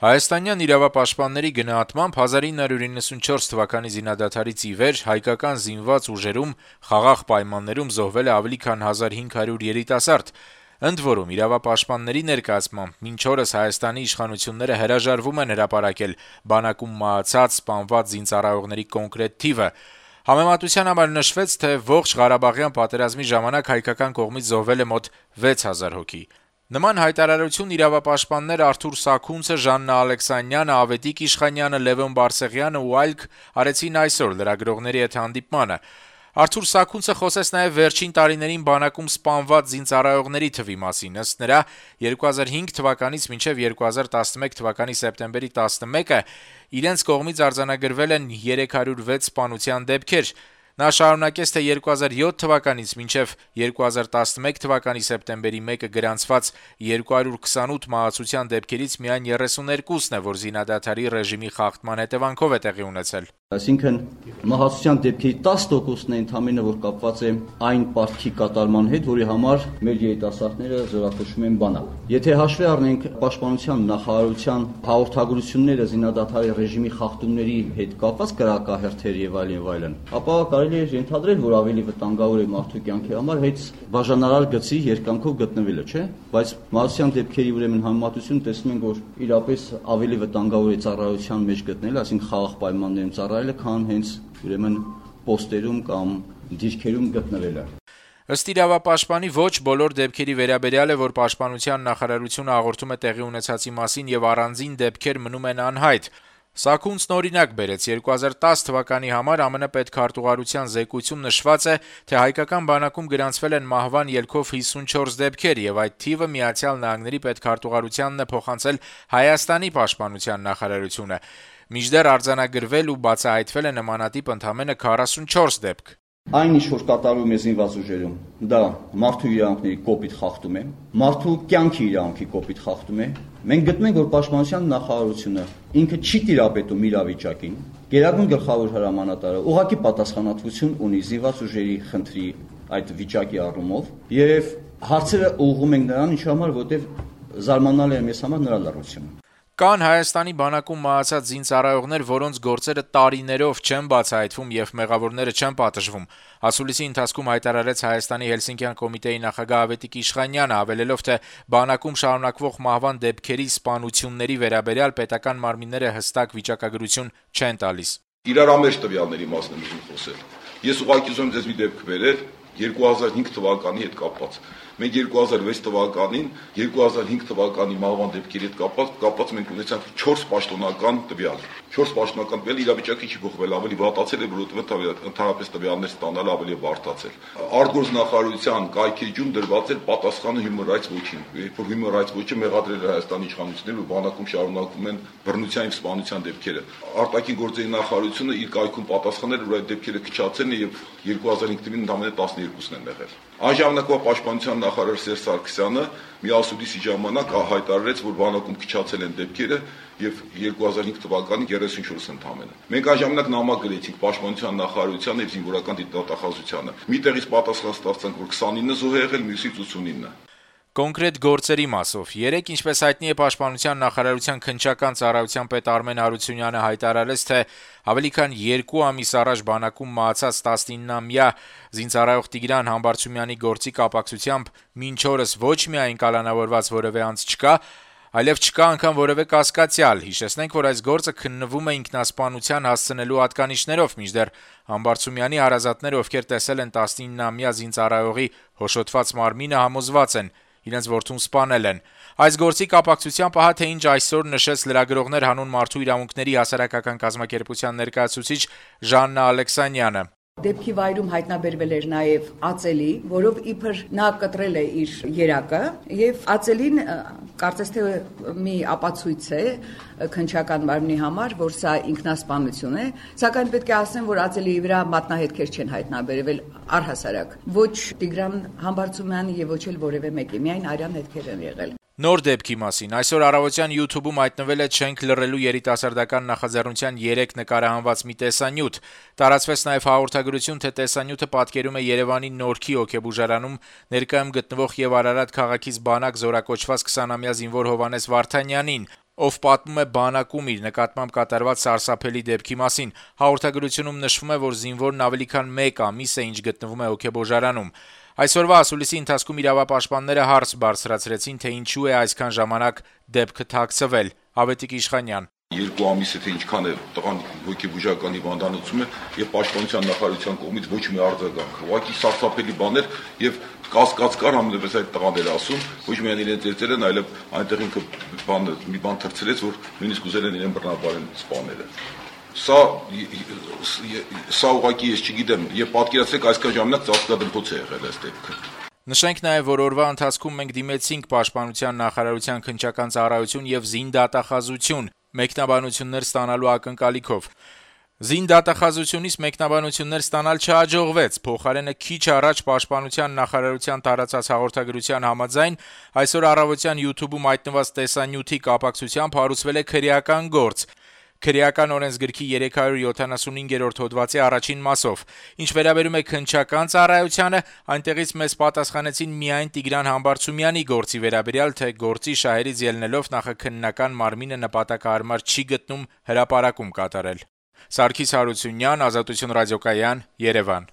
Հայաստանյան իրավապաշտպանների գնահատմամբ 1994 թվականի զինադադարից ի վեր հայկական զինված ուժերում խաղաղ պայմաններում զոհվել է ավելի քան 1500 երիտասարդ: Ընդ որում, իրավապաշտպանների ներկայացմամբ մինչ օրս Հայաստանի իշխանությունները հրաժարվում են հրապարակել բանակում մահացած, սպանված զինծառայողների կոնկրետ թիվը: Համեմատության համար նշվեց, թե ողջ Ղարաբաղյան պատերազմի ժամանակ հայկական կողմից զոհվել է մոտ 6000 հոգի: Նման հայտարարություն իրավապաշտպաններ Արթուր Սաքունցը, Ժաննա Ալեքսանյանը, Ավետիք Իշխանյանը, Լևոն Բարսեղյանը ու այլք արեցին այսօր լրագրողների հետ հանդիպմանը: Արթուր Սաքունցը խոսեց նաև վերջին տարիներին բանակում սպանված զինծառայողների թվի մասին: Ըստ նրա, 2005 թվականից մինչև 2011 թվականի սեպտեմբերի 11-ը իրենց կողմից արձանագրվել են 306 սպանության դեպքեր: Նա շարունակեց, թե 2007 թվականից մինչև 2011 թվականի սեպտեմբերի 1-ը գրանցված 228 մահացության դեպքերից միայն 32-ն է, որ զինադադարի ռեժիմի խախտման հետևանքով է տեղի ունեցել: Այսինքն մահացության դեպքերի 10%-ն է ընդամենը, որ կապված է այն պարտքի կատարման հետ, որի համար մեր երիտասարդները զորակոչվում են բանակ: Եթե հաշվի առնենք Պաշտպանության նախարարության հաղորդագրությունները զինադադարի ռեժիմի խախտումների հետ կապված կրակահերթեր եւ այլն, ապա կարելի է ենթադրել, որ ավելի վտանգավոր է մարդու կյանքի համար հենց բաժանարար գծի երկայնքով գտնվելը, չէ՞: Բայց մահացության դեպքերի համեմատությունը տեսնում ենք, որ իրապես ավելի վտանգավոր է ծառայության մեջ գտնելը, այսինքն խաղաղ պայմաններում ծառայելը, քան հենց պոստերում կամ դիրքերում գտնվելը: Ըստ իրավապաշտպանի, ոչ բոլոր դեպքերի վերաբերյալ է, որ Պաշտպանության նախարարությունը հաղորդում է տեղի ունեցածի մասին եւ առանձին դեպքեր մնում են անհայտ: Սաքունցն օրինակ բերեց. 2010 թվականի համար ԱՄՆ պետքարտուղարության զեկույցում նշված է, թե հայկական բանակում գրանցվել են մահվան ելքով 54 դեպքեր, եւ այդ թիվը ԱՄՆ պետքարտուղարությանն է փոխանցել Հայաստանի պաշտպանության նախարարությունը: Մինչդեռ արձանագրվել ու բացահայտվել է նմանատիպ ընդամենը 44 դեպք: Այն, ինչ որ կատարվում է զինված ուժերում, դա մարդու իրավունքների կոպիտ խախտում է, մարդու կյանքի իրավունքի կոպիտ խախտում է: Մենք գտնում ենք, որ Պաշտպանության նախարարությունը ինքը չի տիրապետում իրավիճակին: Գերագույն գլխավոր հրամանատարը ուղղակի պատասխանատվություն ունի զինված ուժերի խնդրի այդ վիճակի առումով, եւ հարցերը ուղղում ենք նրան, ինչի համար, որովհետեւ զարմանալի է մեզ համար նրա լռությունը: Կան Հայաստանի բանակում մահացած զինծառայողներ, որոնց գործերը տարիներով չեն բացահայտվում եւ մեղավորները չեն պատժվում: Ասուլիսի ընթացքում հայտարարեց Հայաստանի Հելսինկյան կոմիտեի նախագահ Ավետիք Իշխանյանը, հավելելով, թե բանակում շարունակվող մահվան դեպքերի սպանությունների վերաբերյալ պետական մարմինները հստակ վիճակագրություն չեն տալիս: Իրարամերժ տվյալների մասին եմ ուզում խոսել: Ես ուղղակի ուզում եմ ձեզ մի դեպք բերել 2005 թվականի հետ կապված: Մենք 2006 թվականին 2005 թվականի մահվան դեպքերի հետ կապված մենք ունեցանք 4 պաշտոնական տվյալ: 4 պաշտոնական տվյալ, իրավիճակը չի փոխվել, ավելի վատացել է, որովհետեւ ընդհանրապես տվյալներ ստանալը ավելի է բարդացել: Արտգործնախարարության կայքէջում դրված էր պատասխանը Human Rights Watch-ին, երբ որ Human Rights Watch-ը մեղադրել էր Հայաստանի իշխանություններին, որ բանակում շարունակվում են բռնության եւ սպանության դեպքերը: Արտաքին գործերի նախարարությունը իր կայքում պատասխանել էր, որ այդ դեպքերը քչացել են եւ 2005 թվականին ընդամենը 12-ն են եղել: Այն ժամանակվա Պաշտպանության նախարար Սերժ Սարգսյանը մի ասուլիսի ժամանակ հայտարարեց, որ բանակում քչացել են դեպքերը եւ 2005 թվականին 34 ընդամենը: Մենք այն ժամանակ նամակ գրեցինք Պաշտպանության նախարարությանը եւ զինվորական դատախազությանը: Մի տեղից պատասխան ստացանք, որ 29 զոհ է եղել, մյուսից 89: Կոնկրետ գործերի մասով. Երեկ, ինչպես հայտնի է, Պաշտպանության նախարարության քննչական ծառայության պետ Արմեն Հարությունյանը հայտարարեց, թե ավելի քան 2 ամիս առաջ բանակում մահացած 19-ամյա զինծառայող Տիգրան Համբարձումյանի գործի կապակցությամբ մինչ օրս ոչ միայն կալանավորված որեւէ անձ չկա, այլեւ չկա անգամ որեւէ կասկածյալ: Հիշեցնենք, որ այս գործը քննվում է ինքնասպանության հասցնելու հատկանիշներով, մինչդեռ Համբարձումյանի հարազատները, ովքեր տեսել են 19-ամյա զինծառայողի հոշոտված մարմինը, համոզված են՝ իրենց որդուն սպանել են: Այս գործի կապակցությամբ ահա թե ինչ այսօր նշեց Լրագրողներ հանուն մարդու իրավունքների հասարակական կազմակերպության ներկայացուցիչ Ժաննա Ալեքսանյանը: Դեպքի վայրում հայտնաբերվել էր նաև ածելի, որով իբր նա կտրել է իր երակը, եւ ածելին կարծես թե մի ապացույց է քննչական մարմնի համար, որ սա ինքնասպանություն է, սակայն պետք է ասեմ, որ ածելի վրա մատնահետքեր չեն հայտնաբերվել առհասարակ, ոչ Տիգրան Համբարձումյանի եւ ոչ էլ որեւէ մեկի, միայն արյան հետքեր են եղել: Նոր դեպքի մասին. Այսօր առավոտյան YouTube-ում հայտնվել է «Չենք լռելու» երիտասարդական նախաձեռնության 3 նկարահանված մի տեսանյութ: Տարածվեց նաև հաղորդագրություն, թե տեսանյութը պատկերում է Երևանի Նորքի հոգեբուժարանում ներկայում գտնվող եւ Արարատ քաղաքից բանակ զորակոչված 20-ամյա զինվոր Հովհաննես Վարդանյանին: ով պատմում է բանակում իր նկատմամբ կատարված սարսափելի դեպքի մասին։ Հաղորդագրությունում նշվում է, որ զինվորն ավելի քան 1 ամիս է ինչ գտնվում է հոգեբոժարանում։ Այսօրվա ասուլիսի ընթացքում իրավապաշտպանները հարց բարձրացրեցին, թե ինչու է այսքան ժամանակ դեպքը թաքցվել։ Ավետիք Իշխանյան. 2 ամիս է թե ինչքան է տղան հոգեբուժական հիվանդանոցում է եւ պաշտպանության նախարարության կողմից ոչ մի արձագանք։ Ուղղակի սարսափելի բաներ եւ կասկած կար համենայնպես այդ տղան էր ասում, ոչ միայն իրեն ծերծել են, այլև այնտեղ ինքը մի բան թրցրեց, որ նույնիսկ ուզել են իրեն բռնապարեն սպանել։ Սա ուղղակի ես չգիտեմ, եւ պատկերացրեք այսքան ժամանակ ծածկադմփոց է եղել այս դեպքը։ Նշենք նաև, որ օրվա ընթացքում մենք դիմեցինք Պաշտպանության նախարարության քննչական ծառայություն եւ զինդատախազություն մեկնաբանություններ ստանալու ակնկալիքով։ Զինդատախազությունից մեկնաբանություններ ստանալ չհաջողվեց, փոխարենը քիչ առաջ Պաշտպանության նախարարության տարածած հաղորդագրության համաձայն այսօր առավոտյան YouTube-ում հայտնված տեսանյութի կապակցությամբ հարուցվել է քրեական գործ։ Քրեական օրենսգրքի 375-րդ հոդվածի առաջին մասով։ Ինչ վերաբերում է քննչական ծառայությանը, այնտեղից մեզ պատասխանեցին միայն Տիգրան Համբարձումյանի գործի վերաբերյալ, թե գործի շահերից ելնելով նախաքննական մարմինը նպատակահարմար չի գտնում հրապարակում կատարել։ Սարգիս Հարությունյան, Ազատություն ռադիոկայան, Երևան։